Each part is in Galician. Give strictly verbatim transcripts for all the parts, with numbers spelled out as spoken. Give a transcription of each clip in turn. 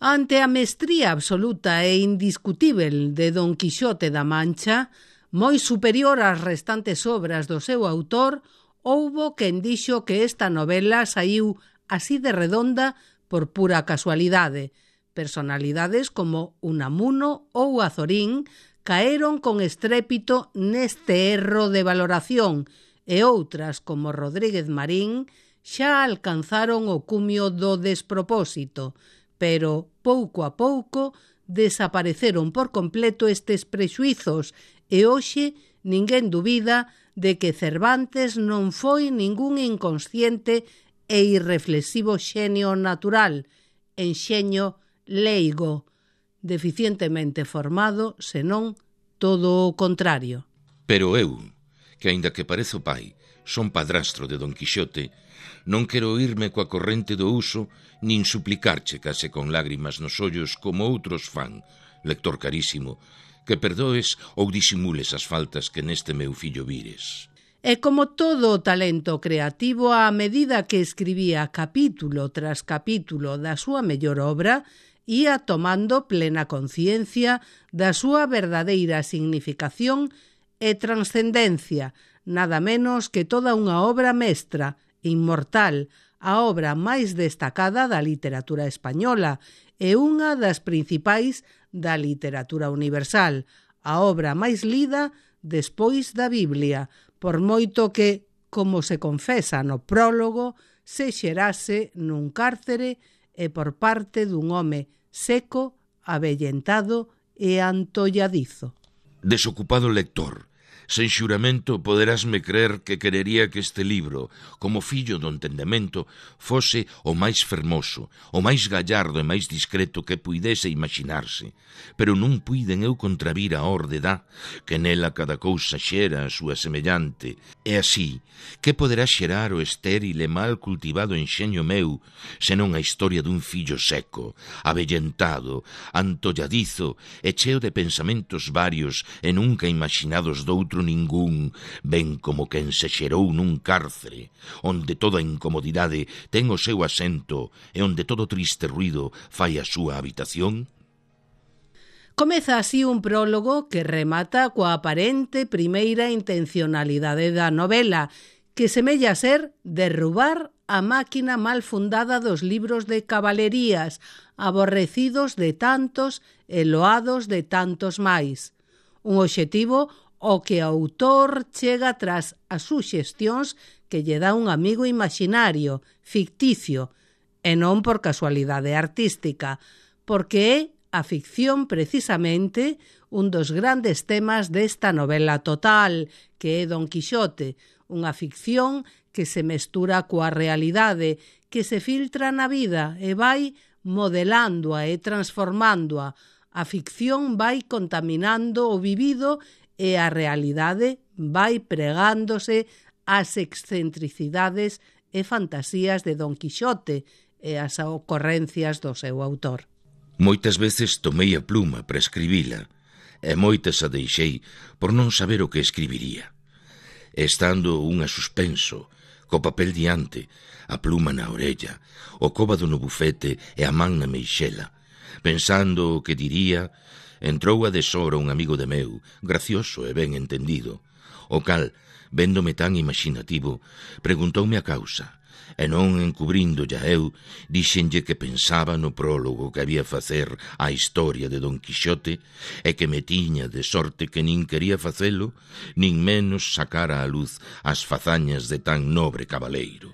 Ante a mestría absoluta e indiscutível de Don Quixote da Mancha, moi superior ás restantes obras do seu autor, houbo quen dixo que esta novela saiu así de redonda por pura casualidade. Personalidades como Unamuno ou Azorín caeron con estrépito neste erro de valoración e outras como Rodríguez Marín xa alcanzaron o cumio do despropósito, pero pouco a pouco desapareceron por completo estes prexuizos e hoxe ninguén dubida de que Cervantes non foi ningún inconsciente e irreflexivo xenio natural, enxeño leigo, deficientemente formado, senón todo o contrario. Pero eu, que aínda que parezo pai, son padrastro de Don Quixote, non quero irme coa corrente do uso, nin suplicarche case con lágrimas nos ollos como outros fan, lector carísimo, que perdoes ou disimules as faltas que neste meu fillo vires. E como todo o talento creativo, a medida que escribía capítulo tras capítulo da súa mellor obra, ia tomando plena conciencia da súa verdadeira significación e transcendencia, nada menos que toda unha obra mestra, inmortal, a obra máis destacada da literatura española e unha das principais da literatura universal, a obra máis lida despois da Biblia, por moito que, como se confesa no prólogo, se xerase nun cárcere e por parte dun home seco, avellentado e antolladizo. Desocupado lector, sen xuramento poderásme crer que querería que este libro, como fillo do entendemento, fose o máis fermoso, o máis gallardo e máis discreto que puidese imaginarse, pero non puiden eu contravir a orde da, que nela cada cousa xera a súa semellante, e así, que poderá xerar o estéril e mal cultivado enxeño meu, senón a historia dun fillo seco, avellentado, antolladizo e cheo de pensamentos varios e nunca imaginados doutro ningún, ben como quen se xerou nun cárcere, onde toda incomodidade ten o seu asento e onde todo triste ruido fai a súa habitación? Comeza así un prólogo que remata coa aparente primeira intencionalidade da novela, que semella ser derrubar a máquina mal fundada dos libros de cabalerías, aborrecidos de tantos e loados de tantos máis. Un obxectivo o que o autor chega tras as suxestións que lle dá un amigo imaginario, ficticio, e non por casualidade artística, porque é a ficción precisamente un dos grandes temas desta novela total, que é Don Quixote, unha ficción que se mestura coa realidade, que se filtra na vida e vai modelándoa e transformándoa. A ficción vai contaminando o vivido e a realidade vai pregándose ás excentricidades e fantasías de Don Quixote e as ocorrencias do seu autor. Moitas veces tomei a pluma para escribila, e moitas a deixei por non saber o que escribiría. Estando unha suspenso, co papel diante, a pluma na orella, o cóbado no bufete e a man na meixela, pensando o que diría, entrou a deshora un amigo de meu, gracioso e ben entendido, o cal, véndome tan imaginativo, preguntoume a causa, e non encubrindo ya eu, dixenlle que pensaba no prólogo que había facer á historia de Don Quixote e que me tiña de sorte que nin quería facelo, nin menos sacar á luz as fazañas de tan nobre cabaleiro.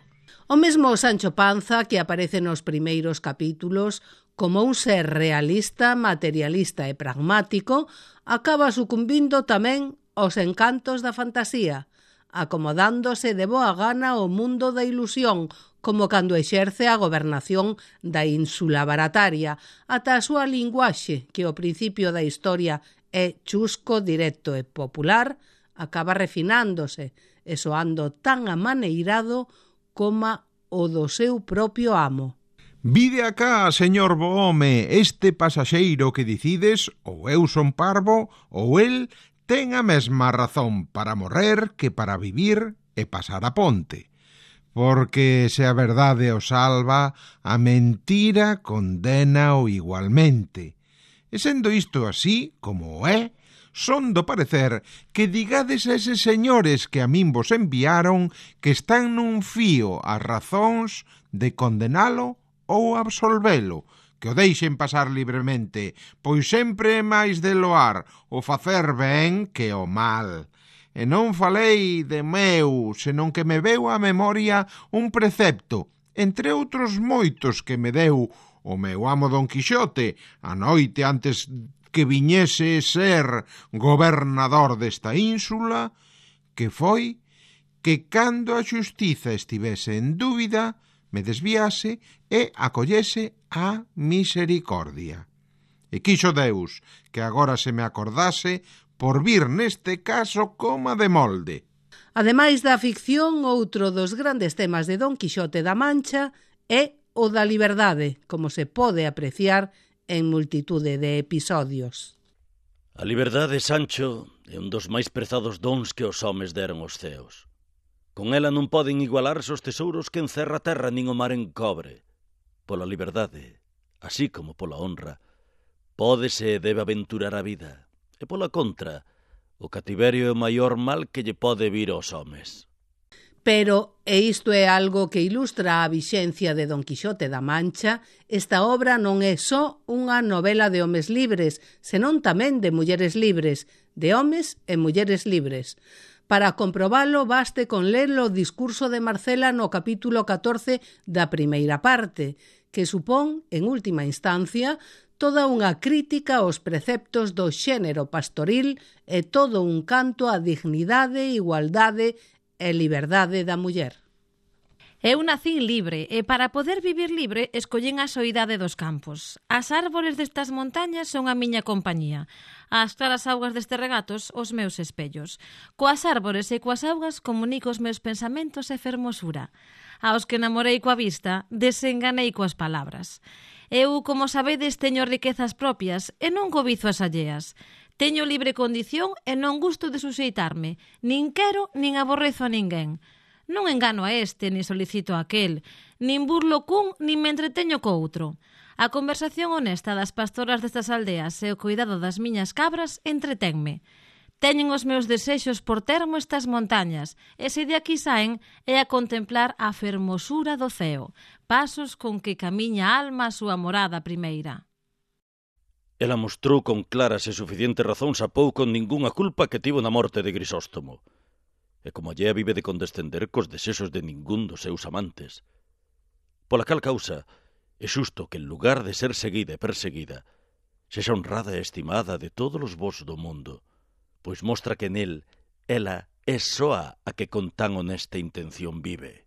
O mesmo Sancho Panza, que aparece nos primeiros capítulos, como un ser realista, materialista e pragmático, acaba sucumbindo tamén aos encantos da fantasía, acomodándose de boa gana ao mundo da ilusión, como cando exerce a gobernación da ínsula barataria, ata a súa linguaxe, que ao principio da historia é chusco, directo e popular, acaba refinándose e soando tan amaneirado como o do seu propio amo. Vide acá, señor Bohome, este pasaxeiro que dicides, ou eu son parvo, ou el ten a mesma razón para morrer que para vivir e pasar a ponte. porque se a verdade o salva, a mentira condena-o igualmente. E sendo isto así, como é, son do parecer que digades a eses señores que a min vos enviaron que están nun fío as razóns de condenalo ou absolvelo, que o deixen pasar libremente, pois sempre é máis de loar o facer ben que o mal. E non falei de meu, senón que me veu á memoria un precepto, entre outros moitos que me deu o meu amo Don Quixote, a noite antes que viñese ser gobernador desta ínsula, que foi que cando a xustiza estivese en dúbida, me desviase e acollese a misericordia. E quixo Deus que agora se me acordase por vir neste caso coma de molde. Ademais da ficción, outro dos grandes temas de Don Quixote da Mancha é o da liberdade, como se pode apreciar en multitude de episodios. A liberdade, Sancho, é un dos máis prezados dons que os homes deron aos ceos. Con ela non poden igualarse os tesouros que encerra a terra nin o mar encobre. Pola liberdade, así como pola honra, pódese e debe aventurar a vida. E pola contra, o cativerio é o maior mal que lle pode vir aos homes. Pero, e isto é algo que ilustra a vixencia de Don Quixote da Mancha, esta obra non é só unha novela de homes libres, senón tamén de mulleres libres, de homes e mulleres libres. Para comprobalo, baste con ler o discurso de Marcela no capítulo catorce da primeira parte, que supón, en última instancia, toda unha crítica aos preceptos do xénero pastoril e todo un canto á dignidade, igualdade e liberdade da muller. Eu nacín libre e para poder vivir libre escollín a soidade dos campos. As árbores destas montañas son a miña compañía. As claras augas deste regatos, os meus espellos. Coas árbores e coas augas comunico os meus pensamentos e fermosura. Aos que namorei coa vista, desenganei coas palabras. Eu, como sabedes, teño riquezas propias e non cobizo as alleas. Teño libre condición e non gusto de suxeitarme. Nin quero, nin aborrezo a ninguén. Non engano a este, nin solicito a aquel, nin burlo cun, nin me entreteño co outro. A conversación honesta das pastoras destas aldeas e o cuidado das miñas cabras entretenme. Teñen os meus desexos por termo estas montañas, e se de aquí saen é a contemplar a fermosura do ceo, pasos con que camiña a alma a súa morada primeira. Ela mostrou con claras e suficientes razóns a pouco ningunha culpa que tivo na morte de Grisóstomo. E como allea vive de condescender cos desexos de ningún dos seus amantes. Pola cal causa, é xusto que en lugar de ser seguida e perseguida, sexa honrada e estimada de todos os vós do mundo, pois mostra que nel ela é soa a que con tan honesta intención vive.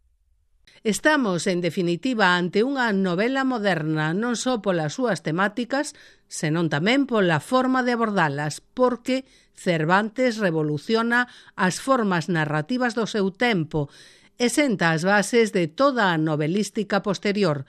Estamos, en definitiva, ante unha novela moderna non só polas súas temáticas, senón tamén pola forma de abordalas, porque Cervantes revoluciona as formas narrativas do seu tempo e senta as bases de toda a novelística posterior.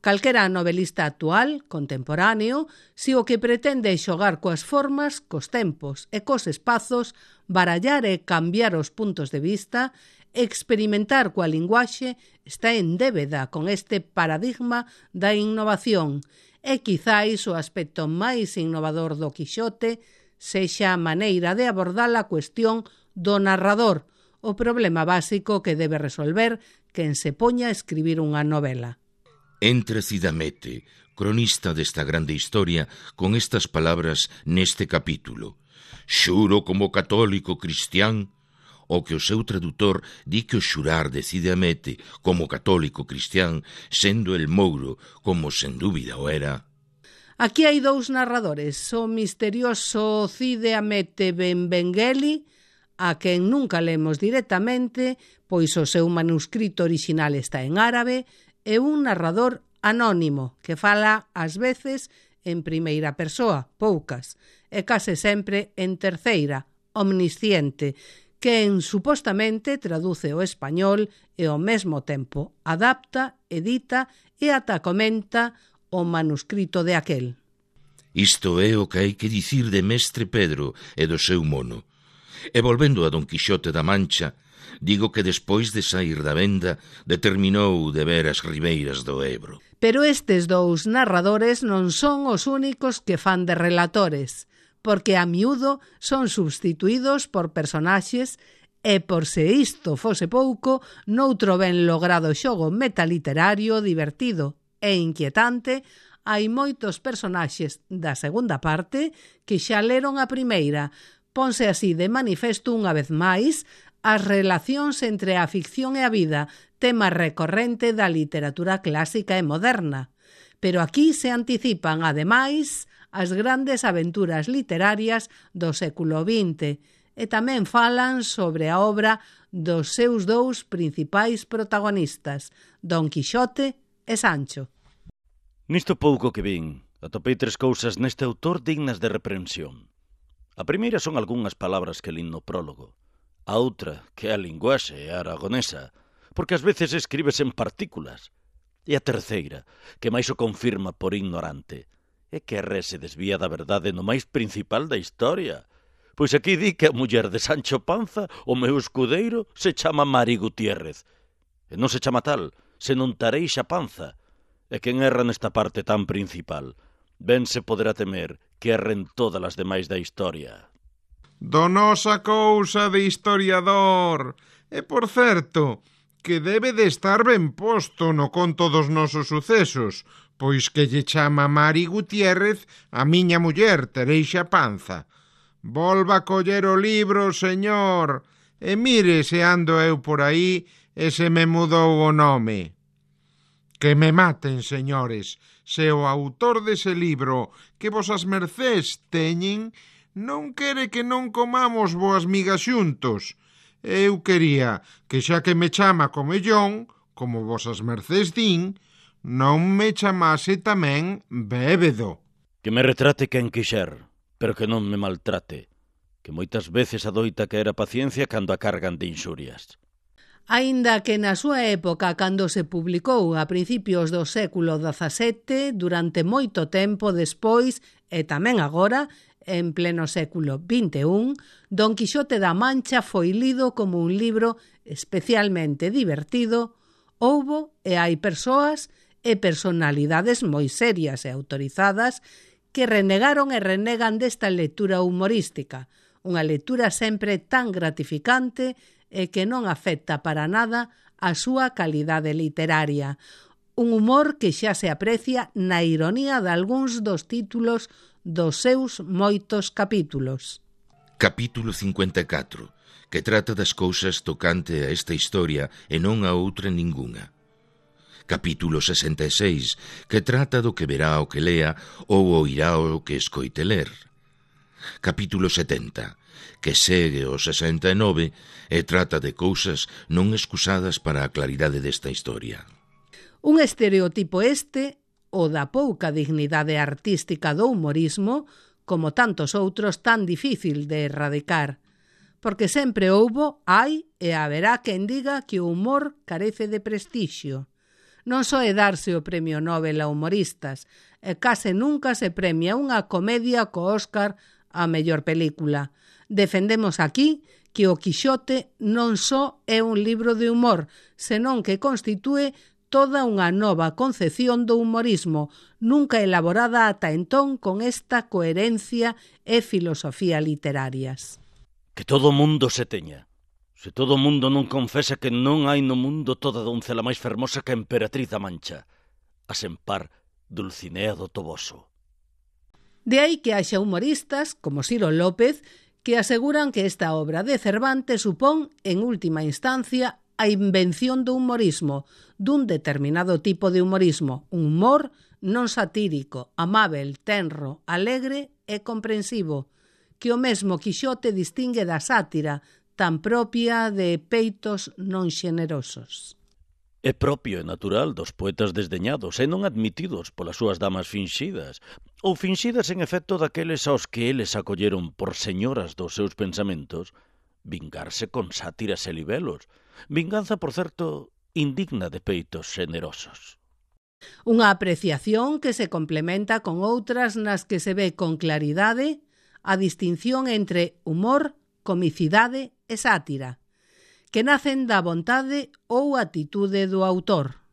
Calquera novelista actual, contemporáneo, si o que pretende é xogar coas formas, cos tempos e cos espazos, barallar e cambiar os puntos de vista, experimentar coa linguaxe, está en débeda con este paradigma da innovación. E quizáis o aspecto máis innovador do Quixote sexa a maneira de abordar a cuestión do narrador, o problema básico que debe resolver quen se poña a escribir unha novela. Entra Cidamete, cronista desta grande historia, con estas palabras neste capítulo. Xuro como católico cristián, o que o seu tradutor di que o xurar de Cidamete como católico cristián, sendo el mouro, como sen dúbida o era. Aquí hai dous narradores, o misterioso Cide Hamete Benvengeli, a quen nunca lemos directamente, pois o seu manuscrito orixinal está en árabe, e un narrador anónimo que fala ás veces en primeira persoa, poucas, e case sempre en terceira, omnisciente, quen supostamente traduce o español e ao mesmo tempo adapta, edita e ata comenta o manuscrito de aquel. Isto é o que hai que dicir de Mestre Pedro e do seu mono. E volvendo a Don Quixote da Mancha, Digo que despois de saír da venda determinou de ver as ribeiras do Ebro. Pero estes dous narradores non son os únicos que fan de relatores, porque a miúdo son substituídos por personaxes e, por se isto fose pouco, noutro ben logrado xogo metaliterario divertido e inquietante, hai moitos personaxes da segunda parte que xa leron a primeira. Ponse así de manifesto unha vez máis as relacións entre a ficción e a vida, tema recorrente da literatura clásica e moderna. Pero aquí se anticipan, ademais, as grandes aventuras literarias do século vinte e tamén falan sobre a obra dos seus dous principais protagonistas, Don Quixote e Sancho. Nisto pouco que vin, atopei tres cousas neste autor dignas de reprensión. A primeira son algunhas palabras que lin no prólogo. A outra, que é a linguaxe aragonesa, porque ás veces escribes en partículas. E a terceira, que máis o confirma por ignorante, é que Ré se desvía da verdade no máis principal da historia. Pois aquí di que a muller de Sancho Panza, o meu escudeiro, se chama Mari Gutiérrez. E non se chama tal, senón Tareixa Panza. E quen erra nesta parte tan principal, ben se poderá temer que erren todas as demais da historia. Donosa cousa de historiador. E, por certo, que debe de estar ben posto no conto dos nosos sucesos, pois que lle chama Mari Gutiérrez a miña muller, Tareixa Panza. Volva a coller o libro, señor, e mire se ando eu por aí e se me mudou o nome. Que me maten, señores, se o autor dese libro que vosas mercés teñen non quere que non comamos boas migas xuntos. Eu quería que xa que me chama comellón, como vosas mercés din, non me chamase tamén bébedo. Que me retrate quen quixer, pero que non me maltrate, que moitas veces adoita caer a paciencia cando a cargan de inxurias. Aínda que na súa época, cando se publicou a principios do século dezasete, durante moito tempo despois e tamén agora, en pleno século vinte e un, Don Quixote da Mancha foi lido como un libro especialmente divertido. Houbo e hai persoas e personalidades moi serias e autorizadas que renegaron e renegan desta lectura humorística, unha lectura sempre tan gratificante e que non afecta para nada a súa calidade literaria. Un humor que xa se aprecia na ironía de algúns dos títulos dos seus moitos capítulos. Capítulo cincuenta e catro, que trata das cousas tocante a esta historia e non a outra ningunha. Capítulo sesenta e seis, que trata do que verá o que lea ou oirá o que escoite ler. Capítulo setenta, que segue o sesenta e nove e trata de cousas non excusadas para a claridade desta historia. Un estereotipo este, o da pouca dignidade artística do humorismo, como tantos outros tan difícil de erradicar, porque sempre houbo, hai e haberá quen diga que o humor carece de prestixio. Non só é darse o premio Nobel a humoristas, e case nunca se premia unha comedia co Óscar a mellor película. Defendemos aquí que o Quixote non só é un libro de humor, senón que constitúe toda unha nova concepción do humorismo, nunca elaborada ata entón con esta coherencia e filosofía literarias. Que todo o mundo se teña. Se todo o mundo non confesa que non hai no mundo toda doncela máis fermosa que a emperatriz da Mancha, a sempar Dulcinea do Toboso. De aí que haxa humoristas, como Ciro López, que aseguran que esta obra de Cervantes supón, en última instancia, a invención do humorismo, dun determinado tipo de humorismo, un humor non satírico, amável, tenro, alegre e comprensivo, que o mesmo Quixote distingue da sátira, tan propia de peitos non xenerosos. É propio e natural dos poetas desdeñados e non admitidos polas súas damas finxidas, ou finxidas en efecto daqueles aos que eles acolleron por señoras dos seus pensamentos, vingarse con sátiras e libelos, vinganza, por certo, indigna de peitos xenerosos. Unha apreciación que se complementa con outras nas que se ve con claridade a distinción entre humor, comicidade e sátira, que nacen da vontade ou atitude do autor.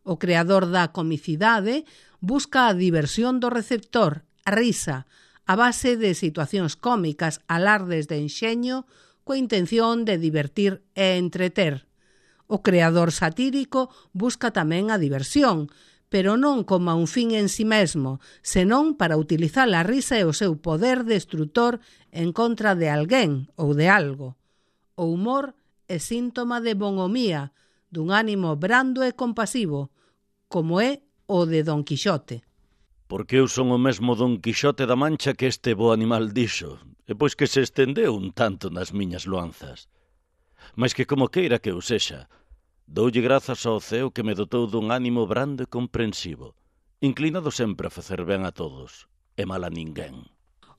O creador da comicidade busca a diversión do receptor, a risa, a base de situacións cómicas, alardes de enxeño, coa intención de divertir e entreter. O creador satírico busca tamén a diversión, pero non como un fin en si mesmo, senón para utilizar a risa e o seu poder destructor en contra de alguén ou de algo. O humor é síntoma de bonhomía, dun ánimo brando e compasivo, como é o de Don Quixote. Porque eu son o mesmo Don Quixote da Mancha que este bo animal dixo, e pois que se estendeu un tanto nas miñas loanzas. Mas que como queira que eu sexa, doulle grazas ao ceo que me dotou dun ánimo brando e comprensivo, inclinado sempre a facer ben a todos, e mal a ninguén.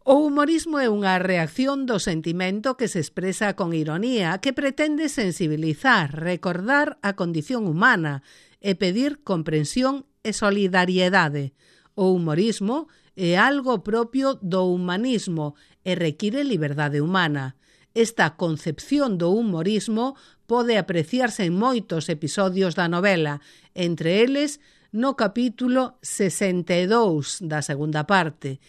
O humorismo é unha reacción do sentimento que se expresa con ironía, que pretende sensibilizar, recordar a condición humana e pedir comprensión e solidariedade. O humorismo é algo propio do humanismo e require liberdade humana. Esta concepción do humorismo pode apreciarse en moitos episodios da novela, entre eles no capítulo sesenta e dous da segunda parte,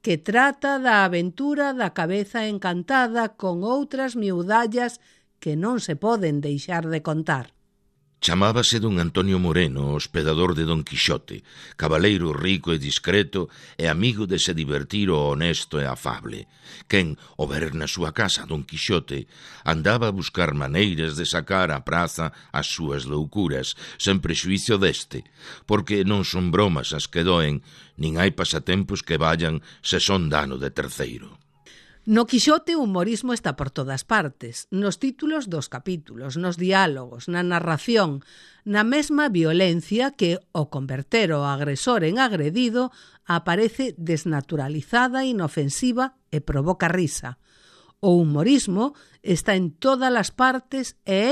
que trata da aventura da cabeza encantada con outras miudallas que non se poden deixar de contar. Chamábase don Antonio Moreno, hospedador de Don Quixote, cabaleiro rico e discreto e amigo de se divertir o honesto e afable, quen, ao ver na súa casa Don Quixote, andaba a buscar maneiras de sacar á praza as súas loucuras, sen prexuicio deste, porque non son bromas as que doen, nin hai pasatempos que vallan se son dano de terceiro. No Quixote o humorismo está por todas partes, nos títulos dos capítulos, nos diálogos, na narración, na mesma violencia que, ao converter o agresor en agredido, aparece desnaturalizada, inofensiva e provoca risa. O humorismo está en todas as partes e é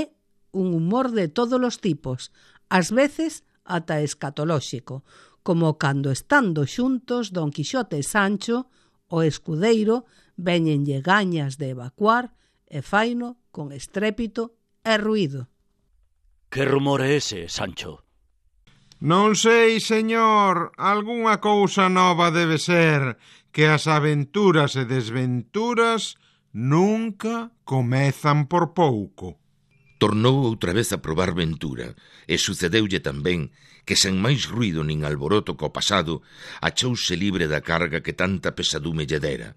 un humor de todos os tipos, ás veces ata escatolóxico, como cando estando xuntos Don Quixote e Sancho, o escudeiro, véñenlle gañas de evacuar e faino con estrépito e ruído. Que rumor é ese, Sancho? Non sei, señor, algunha cousa nova debe ser, que as aventuras e desventuras nunca comezan por pouco. Tornou outra vez a probar ventura, e sucedeulle tamén que sen máis ruído nin alboroto co pasado, achouse libre da carga que tanta pesadume lle dera.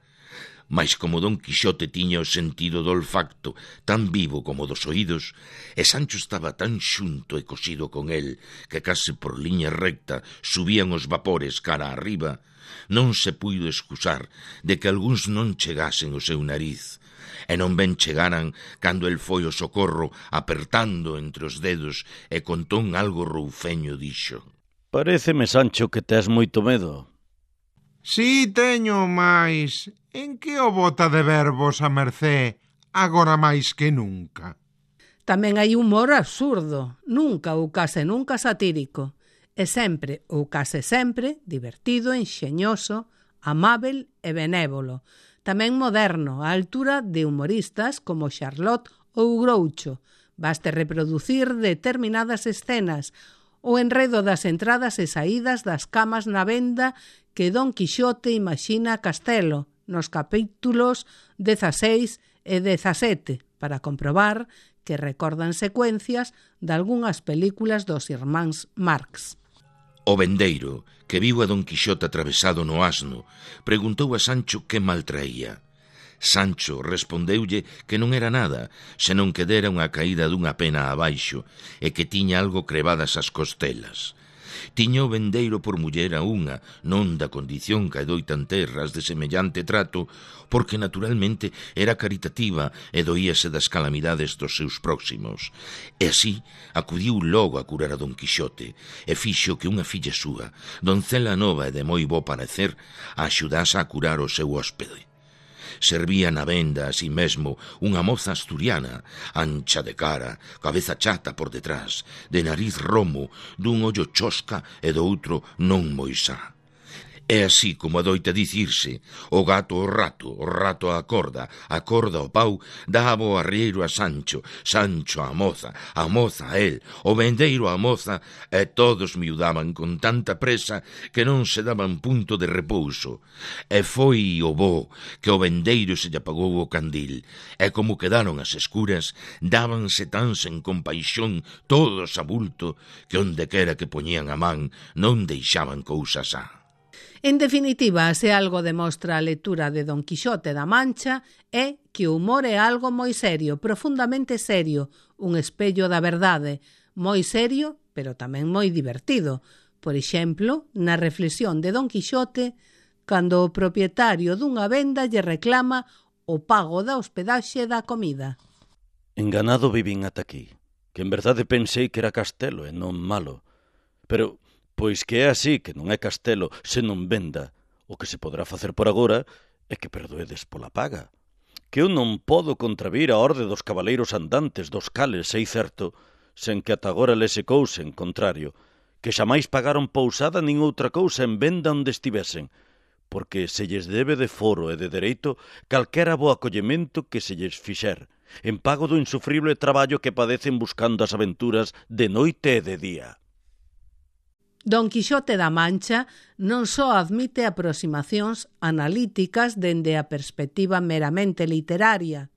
Mais como Don Quixote tiña o sentido do olfacto tan vivo como dos oídos, e Sancho estaba tan xunto e cosido con el que case por liña recta subían os vapores cara arriba, non se puido excusar de que algúns non chegasen o seu nariz, e non ben chegaran cando el foi o socorro apertando entre os dedos e con ton algo roufeño dixo: Paréceme, Sancho, que tes moito medo. Si teño, máis en que o bota de verbos a mercé agora máis que nunca? Tamén hai humor absurdo, nunca ou case nunca satírico, e sempre ou case sempre divertido, enxeñoso, amável e benévolo. Tamén moderno, á altura de humoristas como Charlotte ou Groucho. Baste reproducir determinadas escenas, o enredo das entradas e saídas das camas na venda que Don Quixote imagina Castelo nos capítulos dezaseis e dezasete para comprobar que recordan secuencias de algunhas películas dos irmáns Marx. O vendeiro, que viu a Don Quixote atravesado no asno, preguntou a Sancho que mal traía. Sancho respondeulle que non era nada, senón que dera unha caída dunha pena abaixo e que tiña algo crebadas as costelas. Tiña o vendeiro por muller a unha, non da condición que doitan terras de semellante trato, porque naturalmente era caritativa e doíase das calamidades dos seus próximos. E así acudiu logo a curar a Don Quixote e fixo que unha filla súa, doncela nova e de moi bo parecer, a axudase a curar o seu hóspede. Servía na venda a si mesmo unha moza asturiana, ancha de cara, cabeza chata por detrás, de nariz romo, dun ollo chosca e do outro non moi sá. É así como adoita dicirse: o gato ao rato, o rato á corda, a corda ao pau, daba o arrieiro a Sancho, Sancho á moza, a moza a el, o vendeiro á moza, e todos miudaban con tanta presa que non se daban punto de repouso. E foi o bo que o vendeiro se lle apagou o candil, e como quedaron as escuras, dábanse tan sen compaixón todos a bulto que onde quera que poñían a man non deixaban cousas á. En definitiva, se algo demostra a lectura de Don Quixote da Mancha é que o humor é algo moi serio, profundamente serio, un espello da verdade, moi serio, pero tamén moi divertido. Por exemplo, na reflexión de Don Quixote, cando o propietario dunha venda lle reclama o pago da hospedaxe da comida. Enganado vivín ata aquí, que en verdade pensei que era castelo e non malo. Pero, pois que é así, que non é castelo, se non venda, o que se podrá facer por agora é que perdoedes pola paga. Que eu non podo contravir a orde dos cabaleiros andantes dos cales, sei certo, sen que ata agora lese cousa en contrario, que xamais pagaron pousada nin outra cousa en venda onde estivesen, porque se lles debe de foro e de dereito calquera bo acollemento que se lles fixer, en pago do insufrible traballo que padecen buscando as aventuras de noite e de día. Don Quixote da Mancha non só admite aproximacións analíticas dende a perspectiva meramente literaria.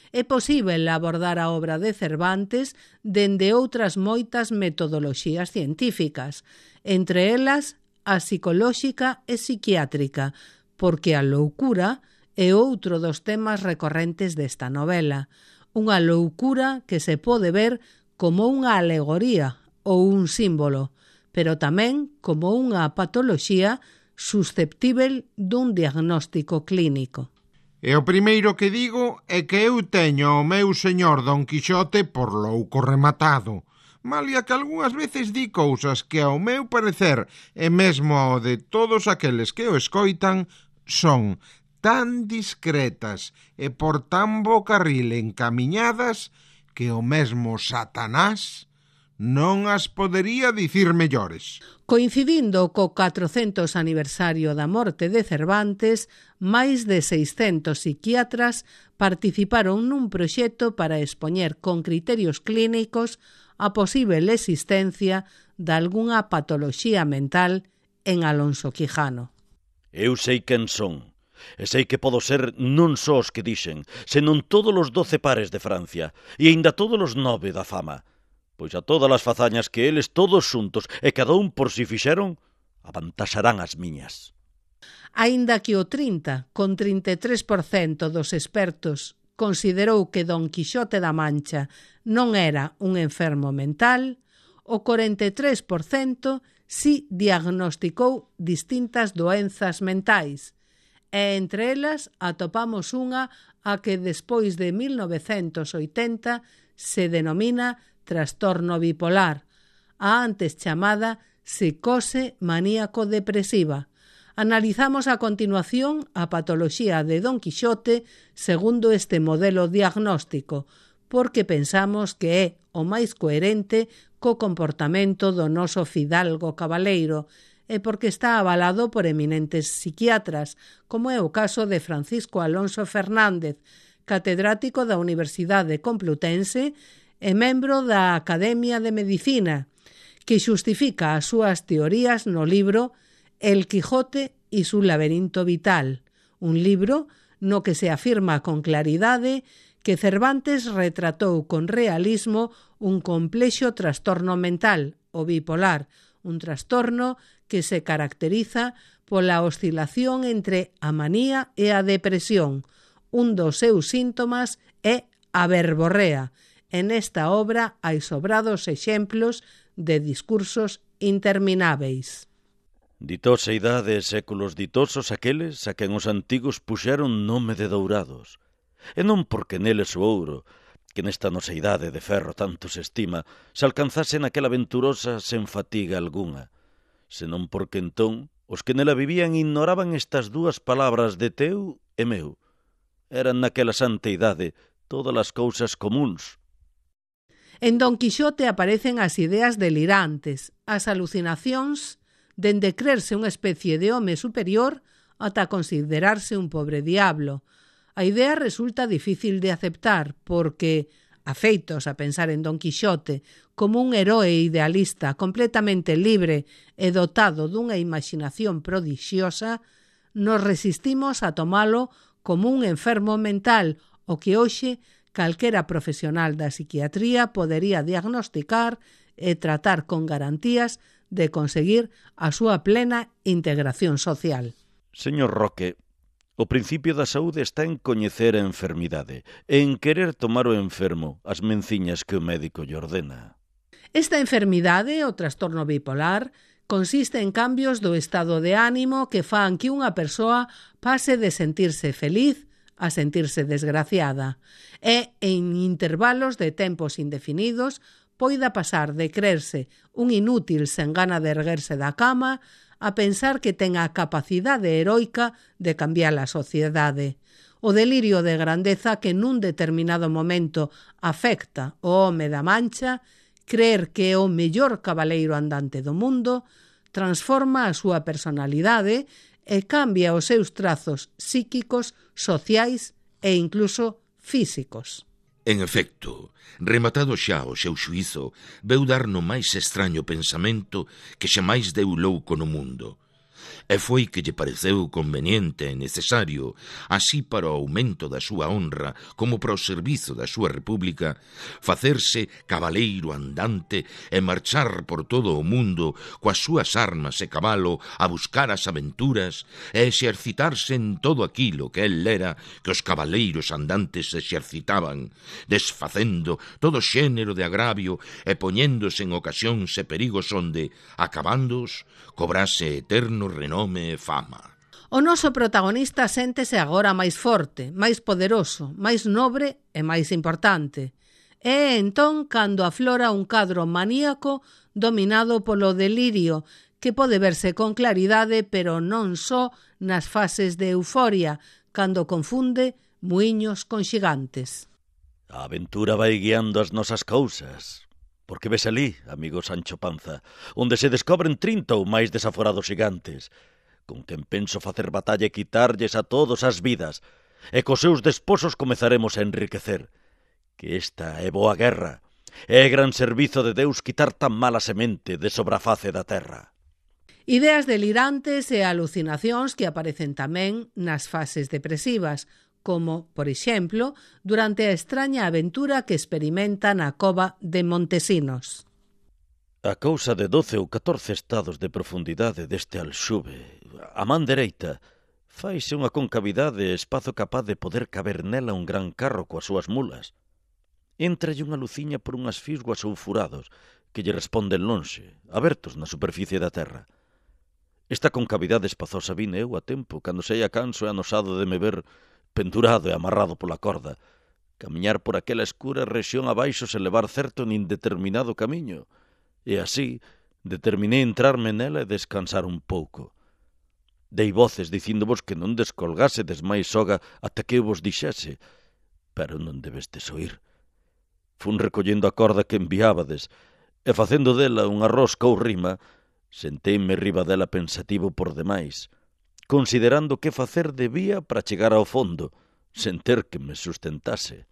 É posíbel abordar a obra de Cervantes dende outras moitas metodoloxías científicas, entre elas a psicolóxica e psiquiátrica, porque a loucura é outro dos temas recorrentes desta novela, unha loucura que se pode ver como unha alegoría ou un símbolo, pero tamén como unha patoloxía susceptível dun diagnóstico clínico. E o primeiro que digo é que eu teño o meu señor Don Quixote por louco rematado, malia que algunhas veces di cousas que ao meu parecer e mesmo ao de todos aqueles que o escoitan son tan discretas e por tan bo carril encamiñadas que o mesmo Satanás non as podería dicir mellores. Coincidindo co catrocentos aniversario da morte de Cervantes, máis de seiscentos psiquiatras participaron nun proxecto para expoñer con criterios clínicos a posible existencia de algunha patoloxía mental en Alonso Quijano. Eu sei quen son, e sei que podo ser non só os que dixen, senón todos os doce pares de Francia, e aínda todos os nove da fama, pois a todas as fazañas que eles todos xuntos e cada un por si fixeron, avantaxarán as miñas. Aínda que o trinta, con trinta e tres por cento dos expertos considerou que Don Quixote da Mancha non era un enfermo mental, o corenta e tres por cento si diagnosticou distintas doenzas mentais, e entre elas atopamos unha a que despois de mil novecentos oitenta se denomina trastorno bipolar, a antes chamada psicose maníaco-depresiva. Analizamos a continuación a patoloxía de Don Quixote segundo este modelo diagnóstico, porque pensamos que é o máis coherente co comportamento do noso fidalgo cabaleiro e porque está avalado por eminentes psiquiatras, como é o caso de Francisco Alonso Fernández, catedrático da Universidade Complutense e membro da Academia de Medicina, que xustifica as súas teorías no libro El Quijote y su laberinto vital, un libro no que se afirma con claridade que Cervantes retratou con realismo un complexo trastorno mental, o bipolar, un trastorno que se caracteriza pola oscilación entre a manía e a depresión. Un dos seus síntomas é a verborrea. En esta obra hai sobrados exemplos de discursos intermináveis. Ditosa idade e séculos ditosos aqueles a quen os antigos puxeron nome de dourados, e non porque neles o ouro, que nesta nosa idade de ferro tanto se estima, se alcanzase naquela aventurosa sen fatiga algunha, senón porque entón os que nela vivían ignoraban estas dúas palabras de teu e meu. Eran naquela santa idade todas as cousas comuns. En Don Quixote aparecen as ideas delirantes, as alucinacións dende creerse unha especie de home superior ata considerarse un pobre diablo. A idea resulta difícil de aceptar porque, afeitos a pensar en Don Quixote como un heroe idealista completamente libre e dotado dunha imaginación prodixiosa, nos resistimos a tomalo como un enfermo mental o que hoxe calquera profesional da psiquiatría podería diagnosticar e tratar con garantías de conseguir a súa plena integración social. Señor Roque, o principio da saúde está en coñecer a enfermidade e en querer tomar o enfermo as menciñas que o médico lle ordena. Esta enfermidade, o trastorno bipolar, consiste en cambios do estado de ánimo que fan que unha persoa pase de sentirse feliz a sentirse desgraciada e, en intervalos de tempos indefinidos, poida pasar de creerse un inútil sen gana de erguerse da cama a pensar que ten a capacidade heroica de cambiar a sociedade. O delirio de grandeza que nun determinado momento afecta o home da Mancha, creer que é o mellor cabaleiro andante do mundo, transforma a súa personalidade e cambia os seus trazos psíquicos, sociais e incluso físicos. En efecto, rematado xa o seu xuízo, veu dar no máis extraño pensamento que xamais deu louco no mundo. E foi que lle pareceu conveniente e necesario, así para o aumento da súa honra como para o servizo da súa república, facerse cabaleiro andante e marchar por todo o mundo coas súas armas e cabalo a buscar as aventuras e exercitarse en todo aquilo que el lera que os cabaleiros andantes exercitaban, desfacendo todo xénero de agravio e poñéndose en ocasións e perigos onde, acabándoos, cobrase eterno renome e fama. O noso protagonista séntese agora máis forte, máis poderoso, máis nobre e máis importante. É entón cando aflora un cadro maníaco dominado polo delirio que pode verse con claridade, pero non só nas fases de euforia, cando confunde muiños con xigantes. A aventura vai guiando as nosas cousas. Porque ves alí, amigo Sancho Panza, onde se descobren trinta ou máis desaforados xigantes, con quen penso facer batalla e quitarlles a todos as vidas, e cos seus desposos comezaremos a enriquecer. Que esta é boa guerra, é gran servizo de Deus quitar tan mala semente de sobre a face da terra. Ideas delirantes e alucinacións que aparecen tamén nas fases depresivas, como, por exemplo, durante a extraña aventura que experimenta na cova de Montesinos. A cousa de doce ou catorce estados de profundidade deste alxube, a man dereita, faise unha concavidade e espazo capaz de poder caber nela un gran carro coas súas mulas. Entralle unha luciña por unhas fisguas ou furados que lle responden lonxe, abertos na superficie da terra. Esta concavidade espazosa vine eu a tempo, cando seia canso e anosado de me ver pendurado e amarrado pola corda, camiñar por aquela escura rexión abaixo se levar certo nin determinado camiño, e así determinei entrarme nela e descansar un pouco. Dei voces dicíndovos que non descolgásedes máis soga ata que eu vos dixese, pero non debestes oír. Fun recollendo a corda que enviábades, e facendo dela unha rosca ou rima, senteime riba dela pensativo por demais, considerando que facer debía para chegar ao fondo, sen ter que me sustentase.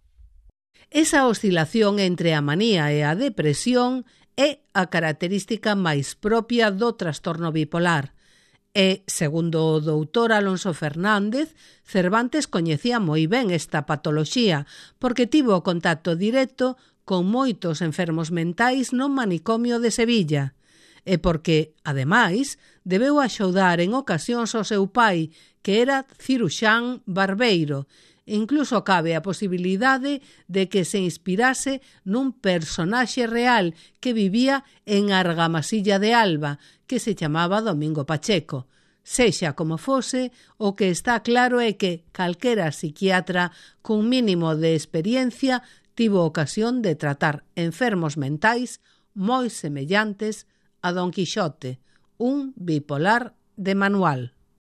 Esa oscilación entre a manía e a depresión é a característica máis propia do trastorno bipolar. E, segundo o doutor Alonso Fernández, Cervantes coñecía moi ben esta patoloxía, porque tivo contacto directo con moitos enfermos mentais no manicomio de Sevilla, e porque, ademais, debeu axudar en ocasións ao seu pai, que era ciruxán barbeiro. Incluso cabe a posibilidade de que se inspirase nun personaxe real que vivía en Argamasilla de Alba, que se chamaba Domingo Pacheco. Sexa como fose, o que está claro é que calquera psiquiatra cun mínimo de experiencia tivo ocasión de tratar enfermos mentais moi semellantes a Don Quixote, un bipolar de manual.